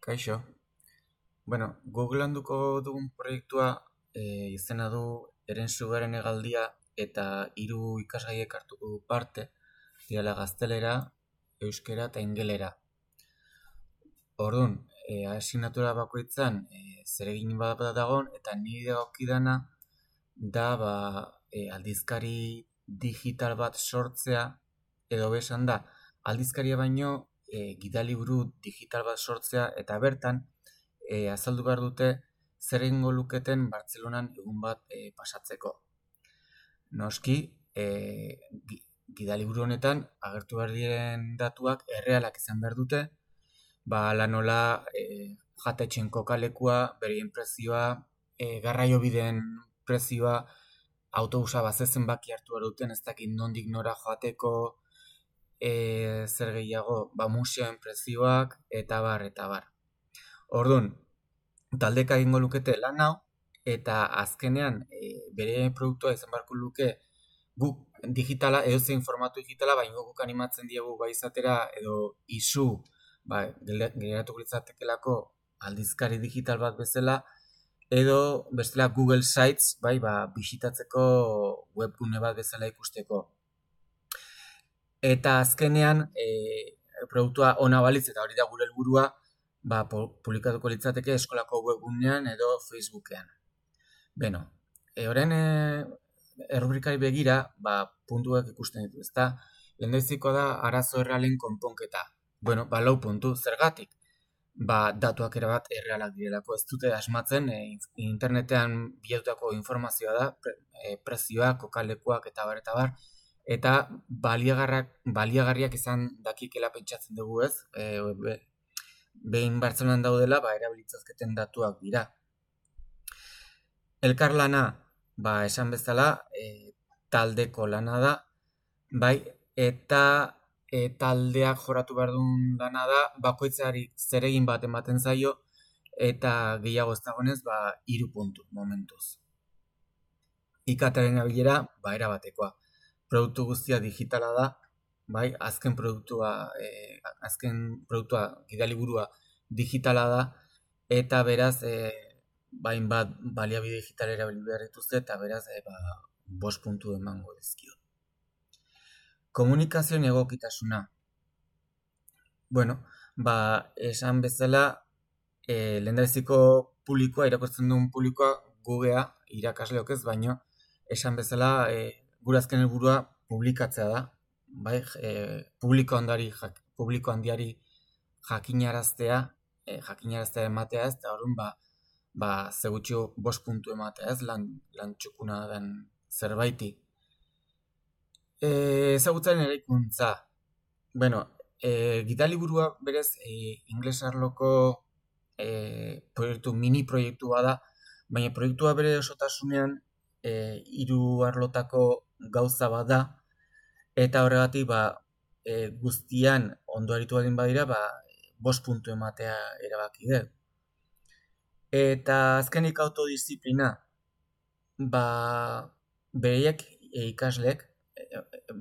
Kaixo. Google handuko dugun proiektua izena du Herensugaren hegaldia eta 3 ikasgaiek hartuko du parte, direla gaztelera, euskera eta ingelera. Orduan, asignatura bakoitzan zeregin bat dagon eta niri dagokidana da aldizkari digital bat sortzea, edo besan da, aldizkaria baino gidaliburu digital bat sortzea eta bertan azaldu behar dute zer egingo luketen Bartzelonan egun bat pasatzeko. Noski, gidaliburu honetan agertu behar diren datuak errealak izan behar dute, lanola jatetxen kokalekua, berien prezioa, garraiobideen prezioa, autobusa bazezen baki hartu behar duten, ez dakit nondik nora joateko, zer gehiago, museoen prezioak, eta bar, eta bar. Orduan, taldeka egingo lukete lan hau, eta azkenean bere produktua izan beharko luke guk digitala, edozein formatu digitala, baina guk animatzen diegu bai izatera, edo isu, geratuko litzatekelako aldizkari digital bat bezala, edo bestela Google Sites, bisitatzeko webgune bat bezala ikusteko. Eta azkenean, produktua ona balitz, eta hori da gure helburua, publikatuko litzateke eskolako webgunean edo Facebookean. Horren errubrikari begira, puntuak ikusten ditu, ezta? Lehendabizikoa da arazo errealen konponketa. 4 puntu, zergatik? Datuak erabat errealak direlako, ez dute asmatzen, internetean bilatutako informazioa da, prezioak, kokalekuak eta bar, eta baliagarriak izan dakikela pentsatzen dugu, ez? Behin Bartzelonan daudela, erabilitzazketen datuak dira. Elkarlana, esan bezala, taldeko lana da, eta taldeak joratu behar duen lana da, bakoitzari zeregin bat ematen zaio, eta gehiago ez dagoenez, 3 puntu momentuz. IKT-aren abilera, erabatekoa. Produktu guztia digitala da, azken produktua, gidaliburua digitala da, eta beraz, bat baliabide digital erabili behar dituzte, eta beraz, 5 puntu emango dizkio. Komunikazioen egokitasuna. Esan bezala, lehendabiziko publikoa, irakurtzen duen publikoa, gugea, irakasleok ez, baino, esan bezala, gure azken helburua publikatzea da, publiko handiari jakinaraztea ematea ez, eta horren, zegutxo 5 puntu ematea ez, lan txukuna den zerbaiti. Ezagutzaren eraikuntza. Gidaliburua berez, ingles arloko mini proiektua da, baina proiektua bere osotasunean 3 arlotako gauza bat da, eta horregatik guztian ondo aritu badin badira, 5 puntu ematea erabaki dut. Eta azkenik autodisziplina, bereiak ikasleek,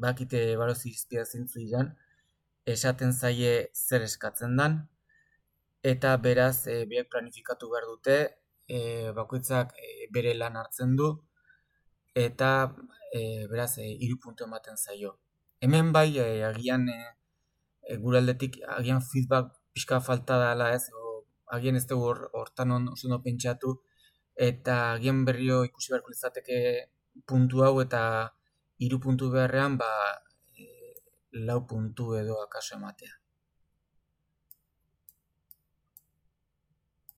bakite barozi izpia zintzu diren, esaten zaie zer eskatzen dan, eta beraz, biak planifikatu behar dute, bakoitzak bere lan hartzen du, eta beraz, 3 puntu ematen zaio. Hemen agian gure aldetik, agian feedback pixka falta dela ez, agian ez dugu hortan oso pentsatu, eta agian berrio ikusi beharko izateke puntu hau, eta 3 puntu beharrean, 4 puntu edo akaso ematea.